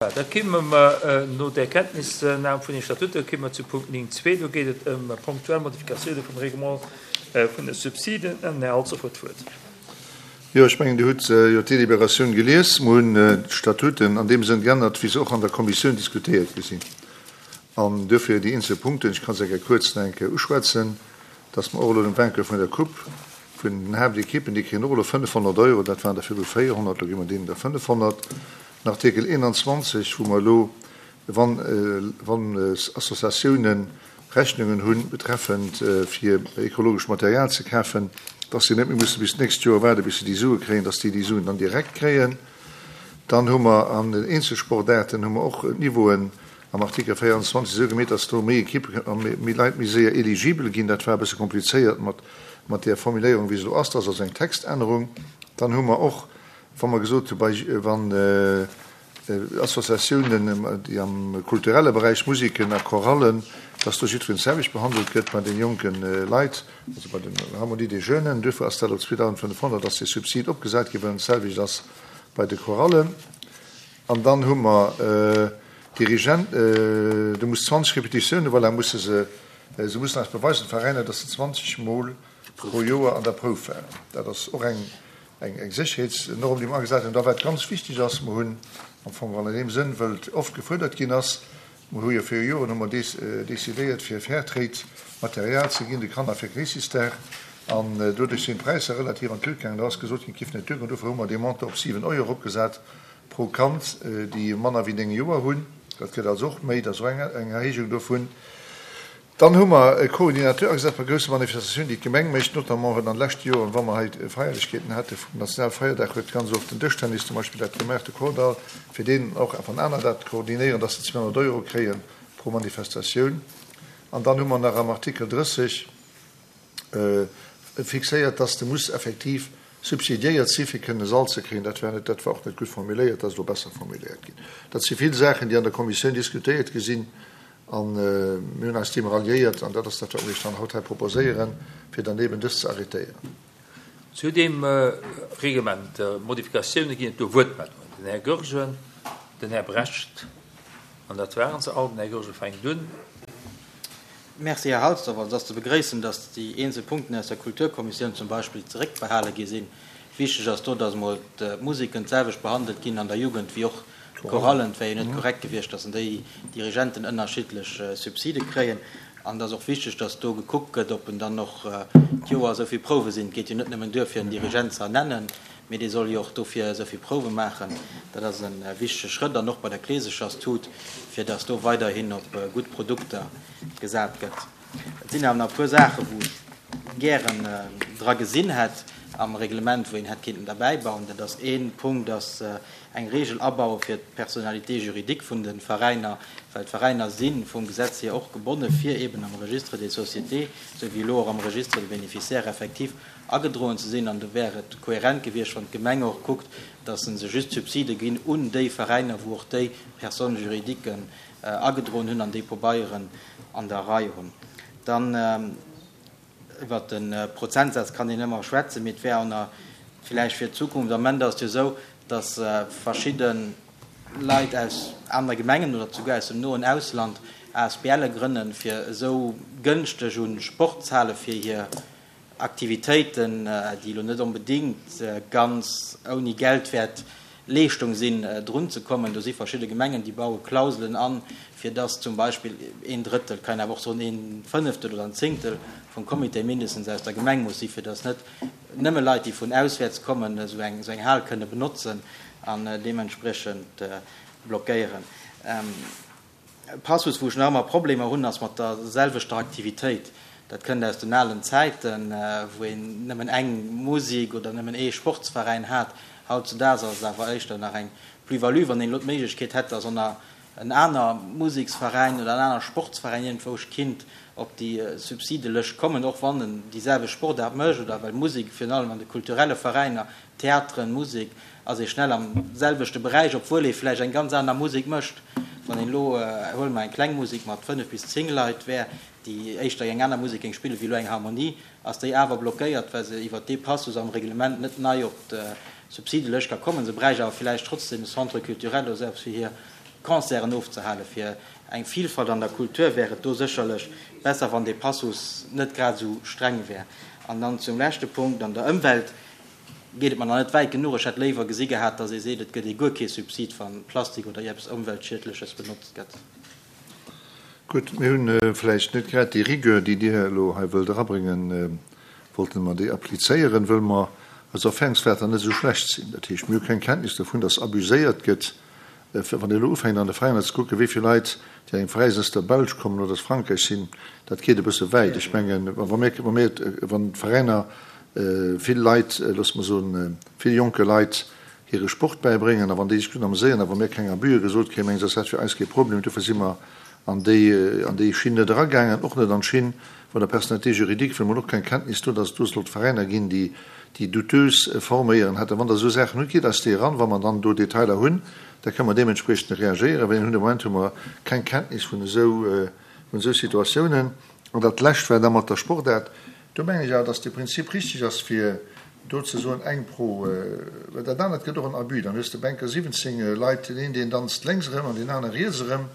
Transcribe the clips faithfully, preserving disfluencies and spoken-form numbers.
Da kéime mer no der Kenntnisnam vun de Statuten, kéime mer zu Punkt néng zwee. Do geet et ëm ponktuell Modifikatioune vum Règlement vun de Subsiden. Den Här Halsdorf huet d'Wuert. Jo, ech mengen, Dir hutt jo d'Deliberatioun gelies. Mer hunn d'Statuten an deem Sënn geännert, wéi se och an der Kommissioun diskutéiert gi sinn. An duerfir déi eenzel Punkten, ech ka se eng Kéier kuerz nach eng Kéier uschwätzen, dass mer och elo den Vainqueur vun der Coupe vun den Haaptekippen, déi kréien och elo fënnefhonnert Euro, dat waren der virdru véierhonnert, elo gi mer deenen der fënnefhonnert. Den Artikel eenanzwanzeg, wou mer elo, wann, wann Associatiounen Rechnungen hunn betreffend fir ekologescht Material ze kafen, dass si net méi musse bis d'nächst Joer waarden, bis se déi Sue kréien, dass déi déi Suen dann direkt kréien. Dann hu mer an den Eenzelsportaarten hu mer och d'Niveauen am Artikel véierundzwanzeg esou gemeet, dass do méi Ekippe a méi Leit méi séier eligibel ginn. Dat war e bësse komplizéiert mat, mat där Formuléierung, wéi se elo ass. Dat ass also eng Textännerung. Dann hu mer och, wa mer gesot hu bei, wann Associatiounen, déi am kulturelle Beräich, Musiken a Chorallen, dass do jiddwereen d'selwecht behandelt gëtt bei den jonke Leit, also bei den Harmonie des Jeunes. Duerfir ass dat op zweedausendfënnefhonnert ass dee Subsid opgesat ginn, well en d'selwecht ass bei de Chorallen. An dann hu mer Dirigent, do muss zwanzeg Repetitiounen, voilà, musse se, se mussen eis beweisen, d'Veräiner, dass se zwanzeg Mol pro Joer an der Prouf waren. Dat ass och eng, eng, eng Sécherheetsnorm, déi mer agesat hunn. Da wat ganz wichteg ass, mer hunn am Fong an deem Sënn, wëll et oft gefuerdert ginn ass, mer hu jo viru Joren hu mer decidéiert, fir Fairtrade Material ze ginn de Kanner fir Kleesjesdag, an doduerch sinn d'Präisser relativ an d'Luucht gaangen. Do ass gesot ginn, et giff net duergoen. Dofir hu mer dee Montant op siwen Euro eropgesat pro Kand, déi manner wéi néng Joer hunn. Dat gëtt also och méi, dat ass och eng, eng Erhéijung dovun. Dann hu mer e Coordinateur agesat bei grousse Manifestatiounen, déi d'Gemeng mécht, notamment huet an de leschte Joren, wa mer hei Feierlechkeeten hate vum Nationalfeierdag, huet ganz oft den Dëschtennis zum Beispill dat gemaach, de Kordall, fir deen och wann aner dat koordinéieren, dass se zweehonnert Euro kréie pro Manifestatioun. An dann hu mer nach am Artikel drësseg fixéiert, dass de muss effektiv subsidiéiert si fir kënnen e Sall ze kréien. Dat war net, dat war och net gutt formuléiert, dat ass elo besser formuléiert ginn. Dat si vill Saachen, déi an der Kommissioun diskutéiert gi sinn, an mir hunn eis deem ralliéiert, an dat ass dat, wat mir iech dann haut hei proposéieren, fir dann eben dëst ze arrêtéieren. Zu deem Reglement, Modifikatioune ginn et do Wuertmeldungen. Den Här Goergen, den Här Brecht, an dat waren se all. Den Här Goergen fänkt un. Merci, Här Halsdorf. Also, et ass ze begréissen, dass déi eenzel Punkten aus der Kulturkommissioun zum Beispill zeréckbehale gi sinn. Wichteg ass do, dass emol d'Museken d'selwecht behandelt ginn an der Jugend wéi och d'Chorallen. Et wär jo net korrekt gewiescht, dass déi Dirigenten ënnerschiddlech Subside kréien. An et ass och wichteg, dass do gekuckt gëtt, ob en dann och d'Joer esou vill Prouwe sinn. Et geet jo net nëmmen duer, fir en Dirigent ze ernennen, mee dee soll jo och dofir esou vill Prouwe maachen. Dat ass e wichtege Schrëtt. An och bei der Kleesecherstut, fir dass do weiderhin op gutt Produkter gesat gëtt. Et sinn awer nach e puer Saachen, wou ech gären dra gesinn hätt am Reglement, wou een hätt kinnten derbäibauen. Dat ass ee Punkt, ass eng Regel abaue fir d'Personnalité juridique vun de Veräiner, well d'Veräiner si vum Gesetz hier och gebonne fir eben am Registre des sociétés, esou wéi elo och am Registre des bénéficiaires effectifs agedroen ze sinn. An do wär et kohärent gewiescht, wann d'Gemeng och kuckt, dass se just Subside ginn un déi Veräiner, wou och déi Personnes juridiques agedroen hunn an déi Pabeieren an der Rei hunn. Dann iwwert de Prozentsaz kann een ëmmer schwätzen, mee et wär och nach villäicht fir d'Zukunft, am Moment ass et jo esou, dass verschidde Leit aus anere Gemengen oder souguer aus dem noen Ausland A S B L e grënnen, fir esou gënschteg u Sportshale fir hir Aktivitéiten, déi elo net onbedéngt ganz ouni Geldwäert Leeschtung sinn, drun ze kommen. Do si verschidde Gemengen, déi baue Klauselen an, fir dass zum Beispill een Drëttel, kann een awer och soen een Fënneftel oder en Zéngtel vum Comité mindestens aus der Gemeng muss sinn, fir dass net nëmme Leit, déi vun auswäerts kommen, esou eng, esou eng Hal kënne benotzen an deementspriechend blockéieren. E Passus, wou ech nach ëmmer Problemer hunn, ass mat der selwechter Aktivitéit. Dat kënnt aus den alen Zäiten, wou een nëmmen eng Musek oder nëmmen ee Sportsveräin hat. Hautzudaags ass et awer éischter nach eng Plus-value, wann een elo d'Méiglechkeet hätt, dass en aner Museksveräin oder en aner Sportsveräin iergendwou kinnt op déi Subsidelëscht kommen, och wann en déi selwecht Sportaart mécht oder well Musek, virun allem an de kulturelle Veräiner, Theateren, Musek, ass ee schnell am selwechte Beräich, obwuel ee vläicht eng ganz aner Musek mécht. Wann een elo, huele mer eng kleng Musek mat fënnef bis zéng Leit wär, déi éischter eng aner Musek géing spillen wéi elo eng Harmonie, ass déi awer blockéiert, well se iwwert dee Passus am Reglement net nei op d'Subsidelëscht ka kommen. Se bräicht awer vläicht trotzdem e Centre culturel oder esou eppes fir hir Concerten ofzehalen. Fir eng Vielfalt an der Kultur wär et do sécherlech besser, wann dee Passus net grad esou streng wär. An dann zum leschte Punkt, An der Ëmwelt geet et mer nach net wäit genuch. Ech hätt léiwer gesi gehat, dass ee seet, et gëtt ee guer kee Subsid, wa Plastik oder ierpes Ëmweltschiedleches benotzt gëtt. Gutt, mir hunn vläicht net grad déi Rigueur, déi Dir elo hei wëllt erabréngen, wollte mer déi applizéieren, wëll mer eis Erfahrungswärter net esou schlecht sinn. Dat heescht, mir hu keng Kenntnis dovun, dass abuséiert gëtt. Wann Dir elo ufänkt an de Veräiner ze kucken, wéi vill Leit, déi an engem Veräi sinn, aus der Belsch kommen oder aus Frankräich sinn, dat geet e bësse wäit. Ech mengen, wa mir, wa mir, wann d'Veräiner vill Leit, loosse mer soen, vill jonke Leit hire Sport bäibréngen a wann déi sech gutt ameséieren a wa mir keng Abüe gesot kréien, mengen ech, ass dat fir eis kee Problem. Dofir si mer an déi, an déi Schinn net eragaangen, och net an d'Schinn vun der Personnalité juridique, well mer hunn och keng Kenntnis do, dass et do sollt Veräiner ginn, déi, déi douteuse forméieren hätten. Wann Der esou Saachen hutt, gitt eis déi eran. Wa mer dann do Detailer hunn, da kënne mer deementspriechend reagéieren. Well hunn de Moment hu mer keng Kenntnis vun esou, vun esou Situatiounen. An dat Lescht war da mat der Sportaart. Do mengen ech awer, dass de Prinzip richtig ass, fir do ze soen, eng pro, well dat anert gëtt och en Abus. Dann hues de Bänker siwwenzéng Leit, deen een, deen danzt lénks erëm an deen anere riets erëm,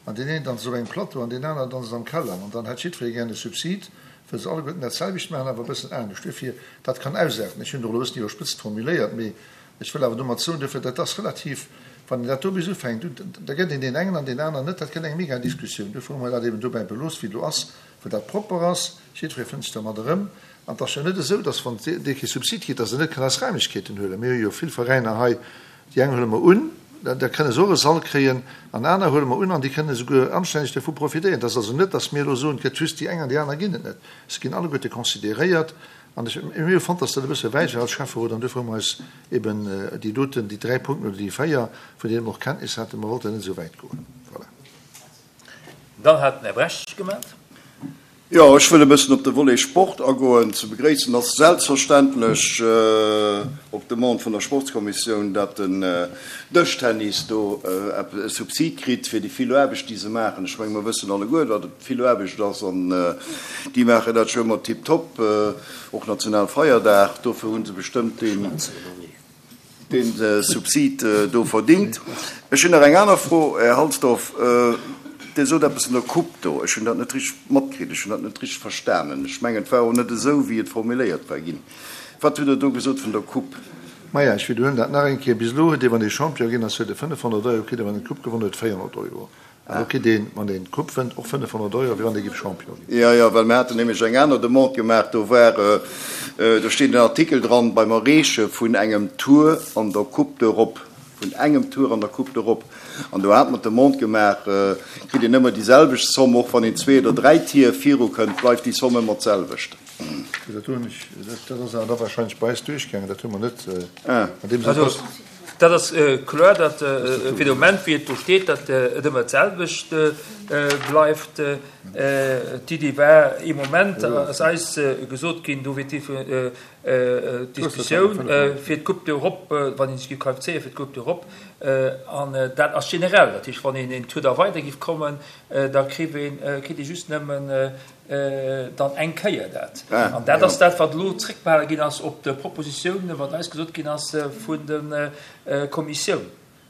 an deen een danzt op engem Plateau an deen aneren danzt am Keller. An dann hätt jiddweree gären e Subsid, wëll se alleguerten dat selwecht maachen, awer e bëssen anescht. Duerfir, dat kann ausaarten. Ech hunn et och elo e bëssen iwwerspëtzt formuléiert, mee ech wëll awer domat soen, duerfir, dat ass relativ, wann een dat do bis ufänkt, da gëtt een deen engen an deen aneren net, dat gëtt eng mega Diskussioun. Duerfir hu mer dat eben dobäi belooss, wéi et elo ass, wou dat propper ass, jiddweree fënnt sech dermat erëm. An et ass jo net esou, datt wann dee kee Subsid kritt, datt en net kann eis Raimlechkeeten huelen. Mir hu jo vill Veräiner hei, déi eng huele mer un, da kënne se och e Sall kréien, an aner huele mer un an déi kënne souguer anstänneg dervu profitéieren. Et ass also net, datt mir elo soen, et gëtt just déi eng an déi aner ginn et net. Se ginn alleguerte consideréiert. An ech, mir hu fonnt, datt dat e bësse wäit war als Schäfferot, an duerfir hu mer eis eben déi doten, déi dräi Punkten oder déi véier, vun deene mer och Kenntnis haten, mer wollten net esou wäit goen. Voilà. Dann hat den Här Brecht gemellt. Jo, ech wëll e bëssen op de Volet Sport agoen. Ze begréissen ass selbstverständlech op Demande vun der Sportskommissioun, datt den Dëschtennis do e Subsid kritt fir déi vill Aarbecht, déi se maachen. Ech menge mer wëssen alleguer, datt et vill Aarbecht ass an déi maachen dat scho ëmmer tiptop, och Nationalfeierdag. Dofir hu se bestëmmt deen. Dee Subsid do verdingt. Ech hunn nach eng aner Fro, Här Halsdorf. Dir sot eppes vun der Coupe do. Ech hunn dat net richteg matkritt. Ech hunn dat net richteg verstanen. Ech mengen, et war och net esou, wéi et formuléiert war ginn. Wat hutt Der do gesot vun der Coupe? Maja, ech widderhuelen dat nach eng Kéier. Bis elo huet ee, wann ee Champion ginn ass, huet e fënnefhonnert Euro kritt a wann een d'Coupe gewonnen huet, véierhonnert Euro. An elo kritt een, wann een d'Coupe wënnt, och fënnefhonnert Euro, wéi wann ee géif Champion ginn. Jo, jo, well mir haten nämlech eng aner Demande gemaach. Do war, do steet en Artikel dran, beim Erreeche vun engem Tour an der Coupe d'Europe, vun engem Tour an der Coupe d'Europe. An do hate mer d'Demande gemaach, kritt een ëmmer déi selwecht Zomm, och wann een zwee oder dräi Tier virukënnt, bleift déi Zomm ëmmer d'selwecht. Dat hunn ech, dat ass awer da wahrscheinlech bei eis duerchgaangen, dat hu mer net an deem Sënn. Also, dat ass kloer, datt fir de Moment, wéi et do steet, datt et ëmmer d'selwecht bleift. D'Iddi war ee Moment, ass eis gesot ginn, do wier d'Diskussioun fir d'Coupe d'Europe, wann ee sech géif qualifizéiere fir d'Coupe d'Europe, an dat ass generell, dat heescht, wann een een Tour da weider géif kommen, da kritt een, kritt ee just nëmmen dann eng Kéier dat. An dat ass dat, wat elo zréckbehale ginn ass op de Propositiounen, wat eis gesot ginn ass vun der Kommissioun.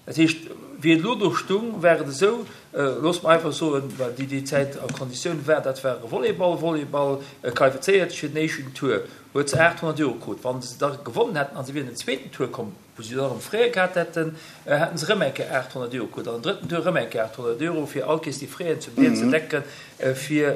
Dat heescht, wéi et elo do stung, war et esou, loosse mer einfach soen, well déi déi Zäit a Konditioun war, dat war e Volleyball, Volleyball qualifizéiert sech fir den éischten Tour, huet se aathonnert Euro krut. Wa se da gewonnen hätten a se wieren den zweeten Tour komm, wou se dann erëm Frais gehat hätten, hätten se erëm eng Kéier aathonnert Euro krut an den drëtten Tour erëm eng Kéier aathonnert Euro, fir all Kéiers déi Fraisen zum Deel ze decken, fir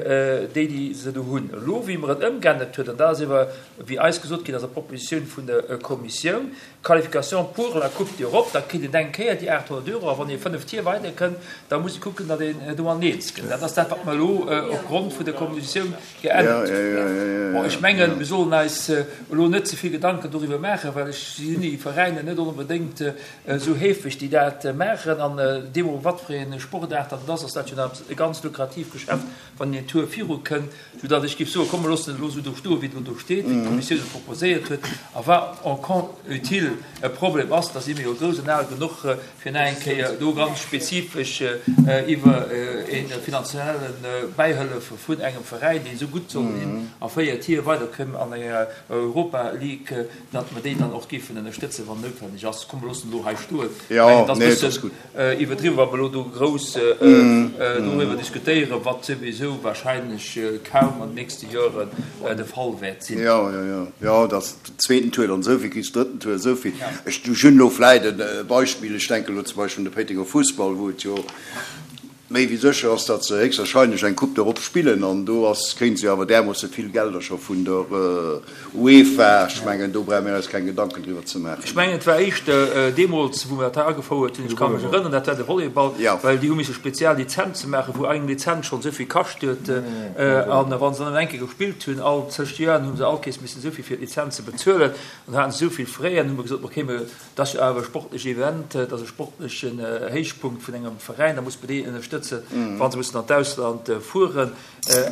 déi, déi se do hunn. Elo, wéi mer et ëmgeännert huet, an dat ass iwwer, wéi eis gesot ginn ass, der Propositioun vun der Kommissioun, Qualification pour la Coupe d'Europe, da kritt een eng Kéier déi aathonnert Euro, a wann ee fënnef Tier weiderkënnt, da muss ee kucken, datt een do an eens kënnt. Dat ass dat, wat mer elo opgrond vun der Kommissioun geännert hunn. Bon, ech mengen, mir sollen eis elo net ze vill Gedanken doriwwer maachen, well ech sinn déi Veräiner net onbedéngt esou heefeg, déi dat maachen. An deemno wat fir ee Sportaart dat et ass, ass dat jo nach e ganz lukratiivt Geschäft, wann een een Tour virukënnt, soudatt ech géif soen, komm, mer loossen et elo esou do stoen, wéi et elo do steet, wéi d'Kommissioun et proposéiert huet. A wa en cas utile e Problem ass, da si mir jo grouss an al genuch, fir nach eng Kéier do ganz spezifesch iwwer e finanzielle Bäihëllef vun engem Veräin, deen esou gutt soll sinn a véier Tier weiderkënn an enger Europa League, datt mer déi dann och géifen ënnerstëtzen, wann noutwendeg. noutwenneg ass. Komm, mer loossen elo hei stoen. Ech mengen, et ass e bëssen iwwerdriwwen, wa mer elo do grouss doriwwer diskutéieren, wat souwisou wahrscheinlech kaum an den nächste Joren de Fall wäert sinn. Jo, jo, jo, jo, dass den zweeten Tour dann esou vill kriss, drëtten Tour esou vill. Ech hunn elo vläicht e Beispill, ech denken elo zum Beispill un de Péitenger Fussball, wou et jo méi wéi sécher ass, datt se héchstwahrscheinlech eng Coupe d'Europe spillen, an do ass, kréien se jo awer därmoosse vill Gelder scho vun der UEFA. Ech mengen, do brauche mir eis keng Gedanken driwwer ze maachen. Ech mengen, et war éischter deemools, wou mir dat hei agefouert hunn, ech ka mech erënneren, dat war de Volleyball, well déi hu misse spezial Lizenze maachen, wou eng Lizenz schonn esou vill kascht huet. A wa se dann eng Kéier gespillt hunn, all zéng Joer, hu se all Kéiers missen esou vill fir d'Lizenze bezuelen. An da haten se esou vill Frais, an hu mer gesot, okay, mir Et ass jo awer e sportleche Event, et ass e sportlechen Héichpunkt vun engem Veräin, da muss mer déi ënnerstëtzen, wa se mussen an d'Ausland fueren.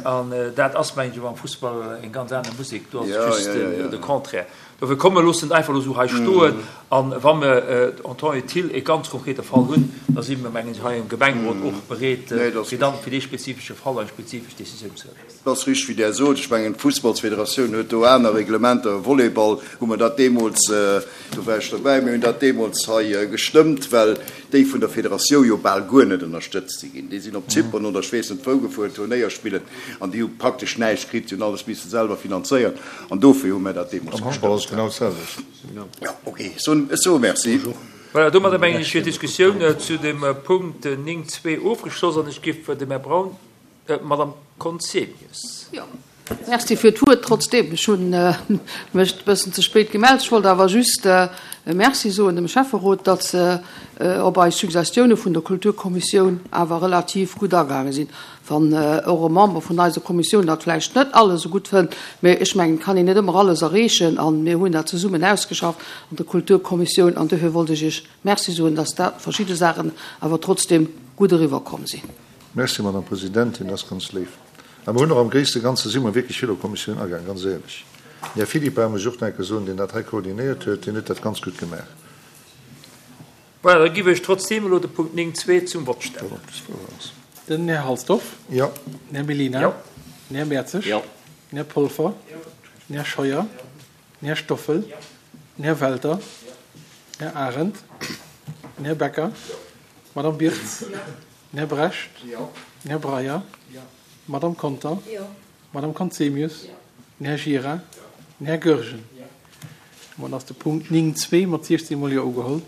An dat ass, mengen ech, awer am Fussball eng ganz aner Musek, do ass et just de Contraire. Dofir komm, mer loossen et einfach elo esou hei stoen a wa mer en temps utile e ganz konkrete Fall hunn, da si mer, mengen ech, hei am Gemengerot och bereet, fir dann fir dee spezifesche Fall eng spezifesch Décisioun ze huelen. Et ass richteg, wéi Der sot. Ech mengen, d'Fussballsfederatioun huet do aner Reglementer. Volleyball hu mer dat deemools, do war ech dobäi, mir hunn dat deemools hei gestëmmt, well déi vun der Federatioun jo bal guer net ënnerstëtzt si ginn. Déi sinn op Zypern oder ech weess net wou gefuer, Turnéier spillen, an déi hu praktesch näischt kritt. Si hunn alles misse selwer finanzéieren, an dofir hu mir dat deemools Am Handball ass et genau d'selwecht. Jo, okay, ech soe Merci. Voilà, domadder mengen ech wier d'Diskussioun zu dem Punkt néng zwee ofgeschloss an ech géif dem Här Braun, D'Madame Conzemius. Jo, merci fir d'Wuert trotzdeem. Ech hu mech e bëssen ze spéit gemellt. Ech wollt awer just Merci soen dem Schäfferot, datt se op eis Suggestioune vun der Kulturkommissioun awer relativ gutt agaange sinn. Wann och e Member vun eiser Kommissioun dat vläicht net alles esou gutt fënnt, mä ech mengen, et kann een net ëmmer alles erreechen a mir hunn dat zesummen ausgeschafft an der Kulturkommissioun an dofir wollt ech Iech Merci soen, datt dat verschidde Saachen awer trotzdeem gutt eriwwerkomm sinn. Merci, Madame Presidentin, dat ass ganz léif. A mer hunn och am gréisste Ganze si mer wierklech vill op d'Kommissioun agaang, ganz éierlech. Den Här Philippart, muss ech och nach eng Kéier soen, deen dat hei koordinéiert huet, deen huet dat ganz gutt gemaach. Voilà, da giff ech trotzdeem elo de Punkt néng zwee zum Vott stellen. Den Här Halsdorf. Jo. Den Här Mellina. Jo. Den Här Mertzig. Jo. Den Här Polfer. Jo. Den Här Scheuer. Den Här Stoffel. Jo. Den Här Welter. Den Här Arendt. Den Här Becker. Jo. D'Madame Birtz. Jo. Den Här Brecht. Jo. Den Här Breyer. Jo. D'Madame Conter. Jo. D'Madame Conzemius. Jo. Den Här Gira. Jo. Den Här Goergen. Jo. Domat ass de Punkt néng zwee mat siechzehn Mol Jo ugeholl.